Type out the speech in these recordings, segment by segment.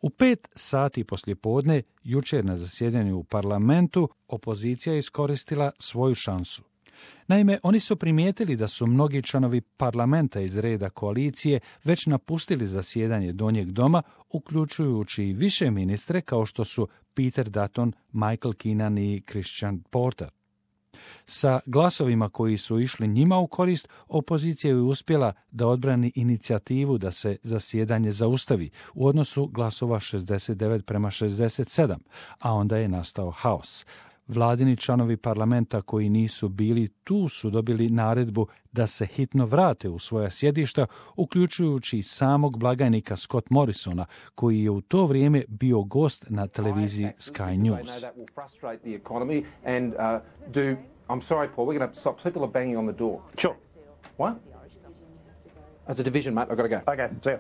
U 5 sati poslijepodne, jučer na zasjedanju u parlamentu, opozicija je iskoristila svoju šansu. Naime, oni su primijetili da su mnogi članovi parlamenta iz reda koalicije već napustili zasjedanje donjeg doma, uključujući i više ministre kao što su Peter Dutton, Michael Keenan i Christian Porter. Sa glasovima koji su išli njima u korist, opozicija je uspjela da odbrani inicijativu da se zasjedanje zaustavi u odnosu glasova 69:67, a onda je nastao haos. Vladini članovi parlamenta koji nisu bili tu su dobili naredbu da se hitno vrate u svoja sjedišta, uključujući i samog blagajnika Scott Morrisona, koji je u to vrijeme bio gost na televiziji Sky News. I'm sorry, Paul, we're going to have to stop. People are banging on the door. Sure. What? As a division, mate, I've got to go. Okay, see you.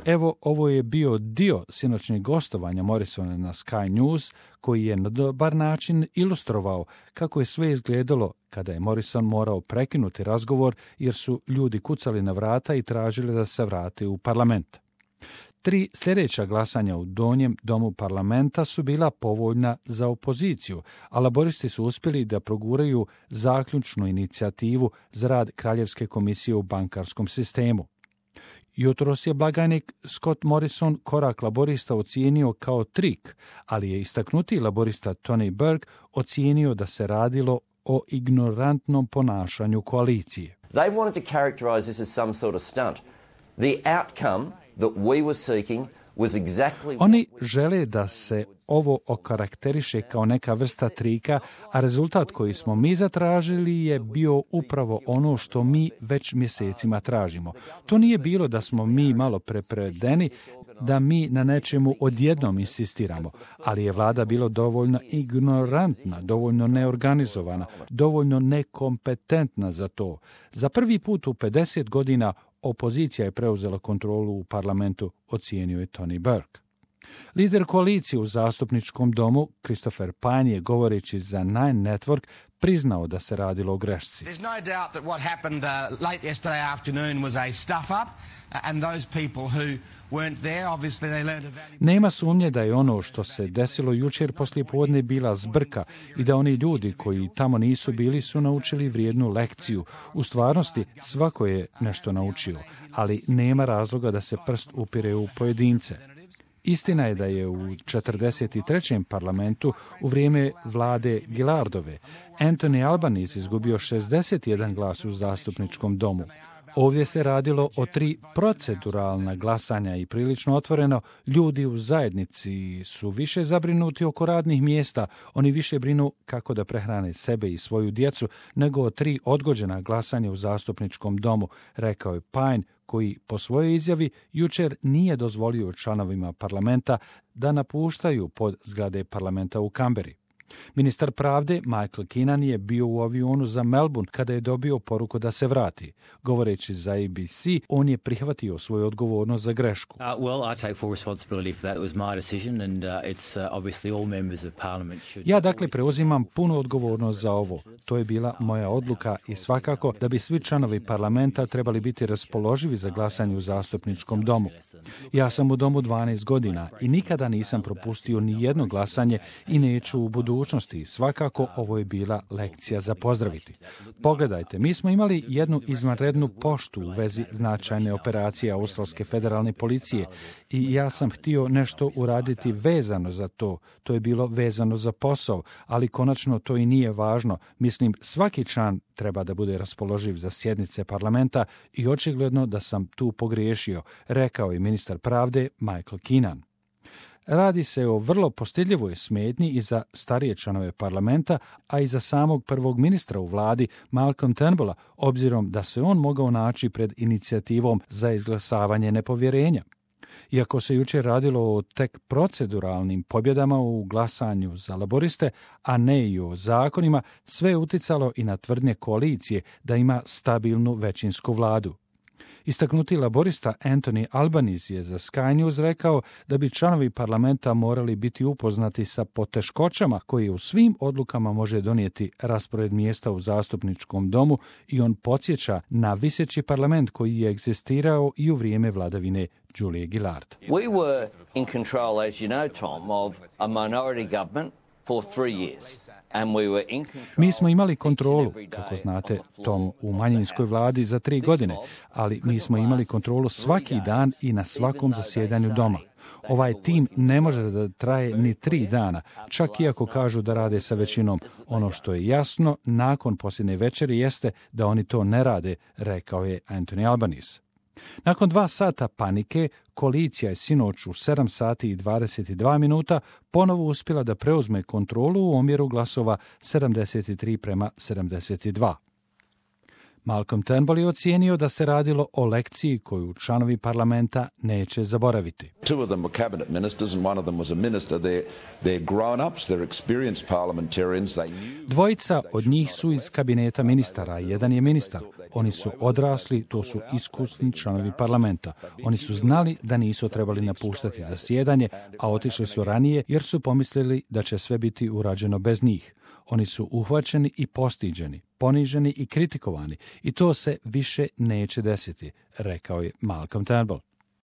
Evo, ovo je bio dio sinoćnjeg gostovanja Morrisona na Sky News, koji je na dobar način ilustrovao kako je sve izgledalo kada je Morrison morao prekinuti razgovor jer su ljudi kucali na vrata i tražili da se vrate u parlament. 3 sljedeća glasanja u donjem domu parlamenta su bila povoljna za opoziciju, a laboristi su uspjeli da proguraju zaključnu inicijativu za rad Kraljevske komisije u bankarskom sistemu. Jutros je blagajnik Scott Morrison korak laborista ocijenio kao trik, ali je istaknuti laborista Tony Burke ocijenio da se radilo o ignorantnom ponašanju koalicije. They wanted to characterize this as some sort of stunt. The outcome that we were seeking was exactly... Oni žele da se ovo okarakteriše kao neka vrsta trika, a rezultat koji smo mi zatražili je bio upravo ono što mi već mjesecima tražimo. To nije bilo da smo mi malo prepredeni, da mi na nečemu odjednom insistiramo, ali je vlada bila dovoljno ignorantna, dovoljno neorganizovana, dovoljno nekompetentna za to. Za prvi put u 50 godina opozicija je preuzela kontrolu u parlamentu, ocijenio je Tony Burke. Lider koalicije u zastupničkom domu, Christopher Pyne, je govoreći za Nine Network priznao da se radilo o grešci. There's no doubt that what happened late yesterday afternoon was a stuff up and those people who weren't there, obviously they learned a valuable... Nema sumnje da je ono što se desilo jučer poslijepodne bila zbrka i da oni ljudi koji tamo nisu bili su naučili vrijednu lekciju. U stvarnosti svako je nešto naučio, ali nema razloga da se prst upire u pojedince. Istina je da je u 43. parlamentu u vrijeme vlade Gillardove Anthony Albanese izgubio 61 glas u zastupničkom domu. Ovdje se radilo o 3 proceduralna glasanja i prilično otvoreno, ljudi u zajednici su više zabrinuti oko radnih mjesta, oni više brinu kako da prehrane sebe i svoju djecu nego o 3 odgođena glasanja u zastupničkom domu, rekao je Pyne, koji po svojoj izjavi jučer nije dozvolio članovima parlamenta da napuštaju pod zgrade parlamenta u Kamberi. Ministar pravde Michael Keenan je bio u avionu za Melbourne kada je dobio poruku da se vrati. Govoreći za ABC, on je prihvatio svoju odgovornost za grešku. Ja dakle preuzimam punu odgovornost za ovo. To je bila moja odluka i svakako da bi svi članovi parlamenta trebali biti raspoloživi za glasanje u zastupničkom domu. Ja sam u domu 12 godina i nikada nisam propustio ni jedno glasanje i neću u budućnosti. Svakako ovo je bila lekcija za pozdraviti. Pogledajte, mi smo imali jednu izvanrednu poštu u vezi značajne operacije Australske federalne policije i ja sam htio nešto uraditi vezano za to. To je bilo vezano za posao, ali konačno to i nije važno. Mislim, svaki član treba da bude raspoloživ za sjednice parlamenta i očigledno da sam tu pogriješio, rekao je ministar pravde Michael Keenan. Radi se o vrlo postidljivoj smetnji i za starije članove parlamenta, a i za samog prvog ministra u vladi Malcolm Turnbulla, obzirom da se on mogao naći pred inicijativom za izglasavanje nepovjerenja. Iako se jučer radilo o tek proceduralnim pobjedama u glasanju za laboriste, a ne i o zakonima, sve je uticalo i na tvrdnje koalicije da ima stabilnu većinsku vladu. Istaknuti laborista Anthony Albanese je za Sky News rekao da bi članovi parlamenta morali biti upoznati sa poteškoćama koje u svim odlukama može donijeti raspored mjesta u zastupničkom domu i on podsjeća na viseći parlament koji je egzistirao i u vrijeme vladavine Julie Gillard. We were in control, as you know, Tom, of a minority government for 3 years. Mi smo imali kontrolu, kako znate, Tom, u manjinskoj vladi za 3 godine, ali mi smo imali kontrolu svaki dan i na svakom zasjedanju doma. Ovaj tim ne može da traje ni 3 dana, čak i ako kažu da rade sa većinom. Ono što je jasno nakon posljednje večeri jeste da oni to ne rade, rekao je Anthony Albanese. Nakon 2 sata panike, koalicija je sinoć u 7 sati i 22 minuta ponovo uspjela da preuzme kontrolu u omjeru glasova 73:72. Malcolm Turnbull je ocijenio da se radilo o lekciji koju članovi parlamenta neće zaboraviti. 2 of them were cabinet ministers and 1 of them was a minister. They're grown-ups, they're experienced parliamentarians. Dvojica od njih su iz kabineta ministara, jedan je ministar. Oni su odrasli, to su iskusni članovi parlamenta. Oni su znali da nisu trebali napuštati zasjedanje, a otišli su ranije jer su pomislili da će sve biti urađeno bez njih. Oni su uhvaćeni i postiđeni, poniženi i kritikovani i to se više neće desiti, rekao je Malcolm Turnbull.